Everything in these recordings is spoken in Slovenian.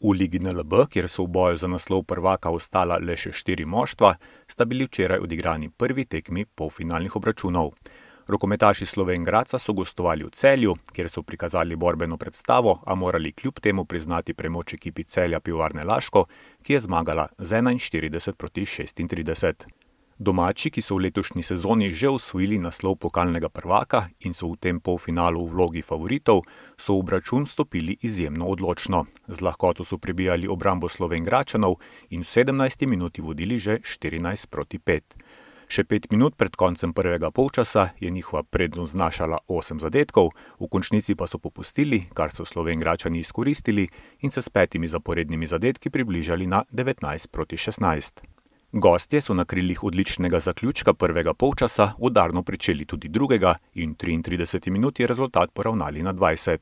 V Ligi NLB, kjer so v boju za naslov prvaka ostala le še 4 moštva, sta bili včeraj odigrani prvi tekmi polfinalnih obračunov. Rokometaši Slovenj Gradca so gostovali v Celju, kjer so prikazali borbeno predstavo, a morali kljub temu priznati premoč ekipi Celja Pivovarne Laško, ki je zmagala z 41-36. Domači, ki so v letošnji sezoni že osvojili naslov pokalnega prvaka in so v tem polfinalu v vlogi favoritov, so v obračun stopili izjemno odločno. Z lahkoto so prebijali obrambo Slovenjgradčanov in v 17. minuti vodili že 14-5. Še 5 minut pred koncem prvega polčasa je njihova prednost znašala 8 zadetkov, v končnici pa so popustili, kar so Slovenjgradčani izkoristili in se s 5 zaporednimi zadetki približali na 19-16. Gostje so na krilih odličnega zaključka prvega polčasa udarno pričeli tudi drugega in v 33 minuti je rezultat poravnali na 20.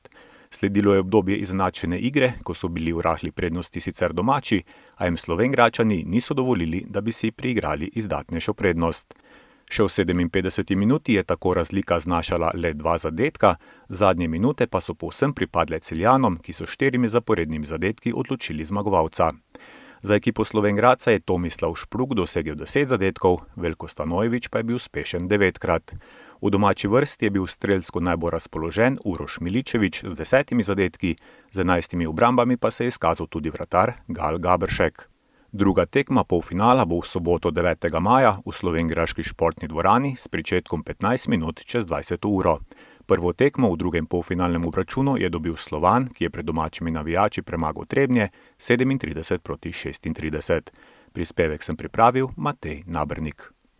Sledilo je obdobje izenačene igre, ko so bili v rahli prednosti sicer domači, a jim Slovenjgradčani niso dovolili, da bi si priigrali izdatnejšo prednost. Še v 57 minuti je tako razlika znašala le 2 zadetka, zadnje minute pa so povsem pripadle Celjanom, ki so 4 zaporednimi zadetki odločili zmagovalca. Za ekipo Slovenj Gradca je Tomislav Špruk dosegel 10 zadetkov, Veljko Stanojević pa je bil uspešen 9-krat. V domači vrsti je bil strelsko najbolj razpoložen Uroš Miličević z 10 zadetki, z 11 obrambami pa se je izkazal tudi vratar Gal Gabršek. Druga tekma polfinala bo v soboto 9. maja v slovenjgraški športni dvorani s pričetkom 15 minut čez 20 uro. Prvo tekmo v drugem polfinalnem obračunu je dobil Slovan, ki je pred domačimi navijači premagal Trebnje 37-36. Prispevek sem pripravil Matej Nabernik.